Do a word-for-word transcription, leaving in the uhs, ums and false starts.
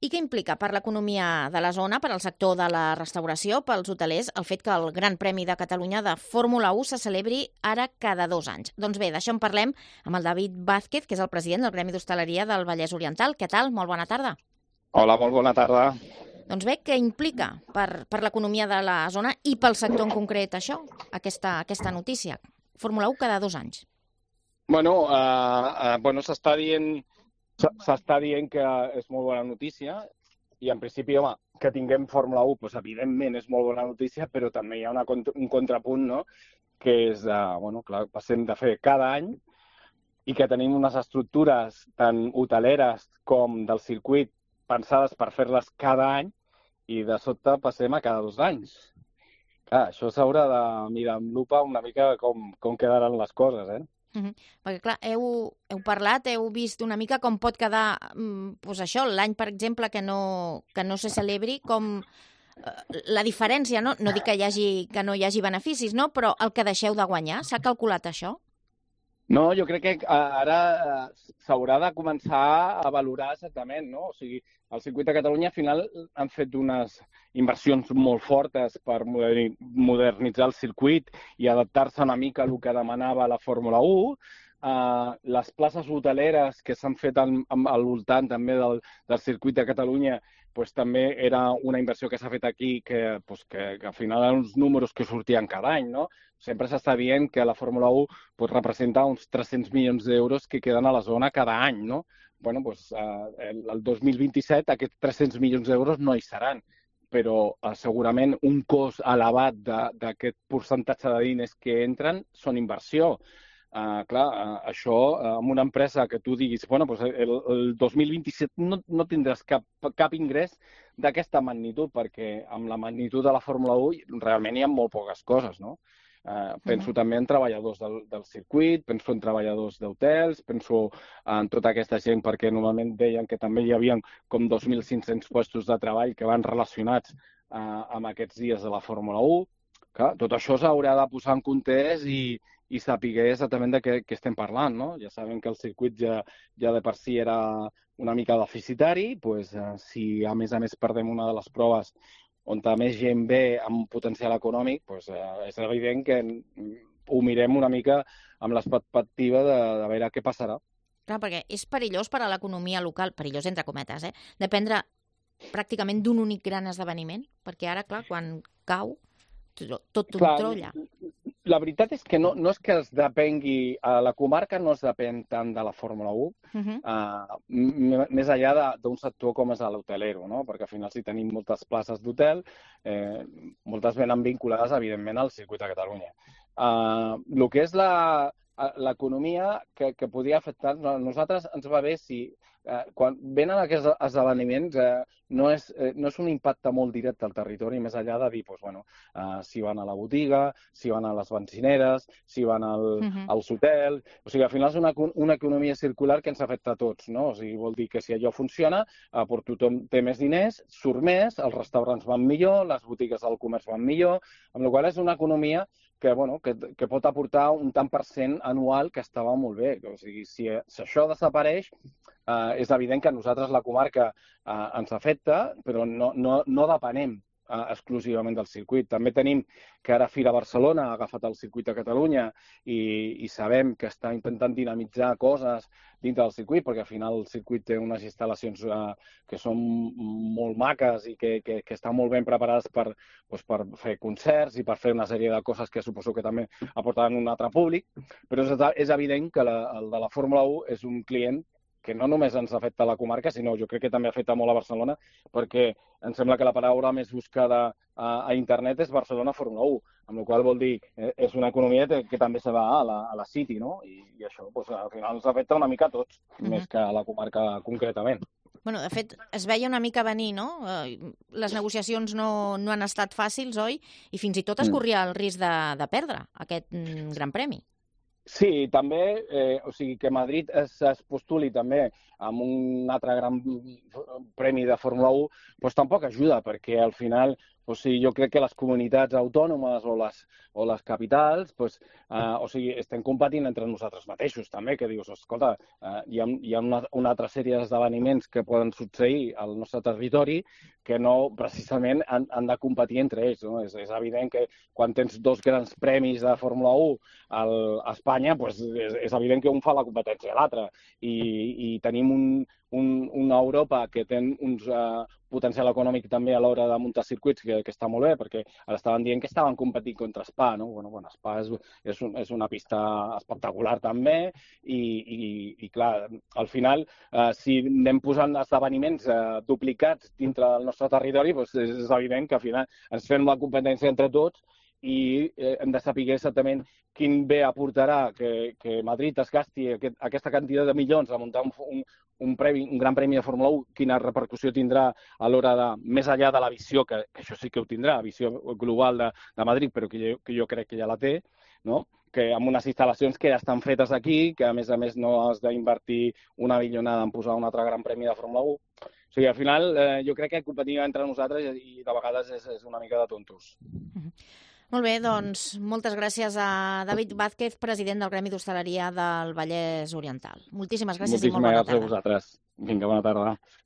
I què implica per l'economia de la zona, per al sector de la restauració, pels hotelers, el fet que el Gran Premi de Catalunya de Fórmula u se celebri ara cada dos anys? Doncs bé, d'això en parlem amb el David Vázquez, que és el president del Gremi d'Hostaleria del Vallès Oriental. Què tal? Molt bona tarda. Hola, molt bona tarda. Doncs bé, què implica per, per l'economia de la zona i pel sector en concret això, aquesta, aquesta notícia? Fórmula u cada dos anys. Bueno, uh, uh, bueno s'està dient, s'està dient que és molt bona notícia i en principi, home, que tinguem Fórmula u, doncs, evidentment és molt bona notícia, però també hi ha una, un contrapunt, no?, que és, uh, bueno, clar, passem de fer cada any i que tenim unes estructures tant hoteleres com del circuit pensades per fer-les cada any i de sobte passem a cada dos anys. Clar, això s'haurà de mirar amb lupa una mica com, com quedaran les coses, eh? Uh-huh. Perquè, clar, heu, heu parlat, heu vist una mica com pot quedar, doncs això, l'any, per exemple, que no, que no se celebri, com eh, la diferència, no? No dic que, hi hagi, que no hi hagi beneficis, no? Però el que deixeu de guanyar, s'ha calculat això? No, jo crec que ara s'haurà de començar a valorar exactament, no? O sigui, el circuit de Catalunya al final han fet unes inversions molt fortes per modernitzar el circuit i adaptar-se una mica al que demanava la Fórmula u. Uh, les places hoteleres que s'han fet al, al voltant també del, del circuit de Catalunya pues, també era una inversió que s'ha fet aquí que, pues, que, que al final eren uns números que sortien cada any, no? Sempre s'està dient que la Fórmula u pues, representa uns tres-cents milions d'euros que queden a la zona cada any, no? Bueno, pues, uh, el, el dos mil vint-i-set aquests tres-cents milions d'euros no hi seran, però uh, segurament un cost elevat d'aquest percentatge de diners que entren són inversió. Uh, clar, uh, això, uh, amb una empresa que tu diguis, bueno, pues el, el dos mil vint-i-set no, no tindràs cap, cap ingrés d'aquesta magnitud, perquè amb la magnitud de la Fórmula u realment hi ha molt poques coses, no? Uh, penso uh-huh. també en treballadors del, del circuit, penso en treballadors d'hotels, penso en tota aquesta gent, perquè normalment deien que també hi havia com dos mil cinc-cents puestos de treball que van relacionats uh, amb aquests dies de la Fórmula u. Clar, tot això s'haurà de posar en context i i saber exactament de què, què estem parlant, no? Ja sabem que el circuit ja, ja de per si era una mica deficitari, doncs, eh, si a més a més perdem una de les proves on més gent ve amb potencial econòmic, doncs, eh, és evident que ho mirem una mica amb l'expectativa de, de veure què passarà. Clar, perquè és perillós per a l'economia local, perillós entre cometes, eh? Dependre pràcticament d'un únic gran esdeveniment, perquè ara, clar, quan cau, tot un trolla. La veritat és que no, no és que es depengui, a la comarca no es depèn tant de la Fórmula u, uh-huh. uh, més enllà d'un sector com és l'hotelero, no? Perquè al final si tenim moltes places d'hotel, eh, moltes venen vinculades, evidentment, al circuit de Catalunya. Uh, el que és la, l'economia que, que podria afectar, a nosaltres ens va bé si eh, quan venen aquests esdeveniments eh, no, és, eh, no és un impacte molt directe al territori, més enllà de dir pues, bueno, eh, si van a la botiga, si van a les benzineres, si van al, uh-huh. als hotels. O sigui, al final és una, una economia circular que ens afecta a tots, no? O sigui, vol dir que si allò funciona, eh, per tothom té més diners, surt més, els restaurants van millor, les botigues del comerç van millor, amb la qual cosa és una economia que, bueno, que, que pot aportar un tant per cent anual que estava molt bé. O sigui, si, si això desapareix, eh, és evident que a nosaltres la comarca eh, ens afecta, però no, no, no depenem eh, exclusivament del circuit. També tenim que ara Fira Barcelona ha agafat el circuit de Catalunya i, i sabem que està intentant dinamitzar coses dintre del circuit, perquè al final el circuit té unes instal·lacions eh, que són molt maques i que, que, que estan molt ben preparades per, doncs, per fer concerts i per fer una sèrie de coses que suposo que també aportaran un altre públic, però és, és evident que la, el de la Fórmula u és un client que no només ens afecta a la comarca, sinó jo crec que també afecta molt a Barcelona, perquè em sembla que la paraula més buscada a, a internet és Barcelona Fórmula u, amb la qual vol dir que és una economia que, que també se va a la, a la City, no? I, i això doncs, al final ens afecta una mica a tots, uh-huh. més que a la comarca concretament. Bueno, de fet, es veia una mica venir, no? Les negociacions no, no han estat fàcils, oi? I fins i tot es corria el risc de, de perdre aquest mm, Gran Premi. Sí, també, eh, o sigui, que Madrid es, es postuli també amb un altre gran premi de Fórmula u, doncs tampoc ajuda, perquè al final O sigui, jo crec que les comunitats autònomes o les, o les capitals, pues, uh, o sigui, estem competint entre nosaltres mateixos, també, que dius, escolta, uh, hi ha, hi ha una, una altra sèrie d'esdeveniments que poden succeir al nostre territori que no, precisament, han, han de competir entre ells. No? És, és evident que quan tens dos grans premis de Fórmula u al, a Espanya, pues, és, és evident que un fa la competència a l'altre. I, i tenim un, un, una Europa que té uns uh, potencial econòmic també a l'hora de muntar circuits, que, que està molt bé, perquè ara estaven dient que estaven competint contra Spa, no? Bueno, bueno, Spa és, és, un, és una pista espectacular també i, i, i clar, al final, eh, si anem posant esdeveniments eh, duplicats dintre del nostre territori, doncs és, és evident que al final ens fem la competència entre tots i eh, hem de saber exactament quin bé aportarà que, que Madrid es gasti aquest, aquesta quantitat de milions a muntar un, un, un, premi, un gran premi de Fórmula u, quina repercussió tindrà a l'hora de, més enllà de la visió, que, que això sí que ho tindrà, la visió global de, de Madrid, però que jo, que jo crec que ja la té, no? Que amb unes instal·lacions que ja estan fetes aquí, que a més a més no has d'invertir una milionada en posar un altre gran premi de Fórmula u. O sigui, al final, eh, jo crec que competir entre nosaltres i de vegades és, és una mica de tontos. Mm-hmm. Molt bé, doncs moltes gràcies a David Vázquez, president del Gremi d'Hostaleria del Vallès Oriental. Moltíssimes gràcies Moltíssimes i molt bona gràcies tarda. a vosaltres. Vinga, bona tarda.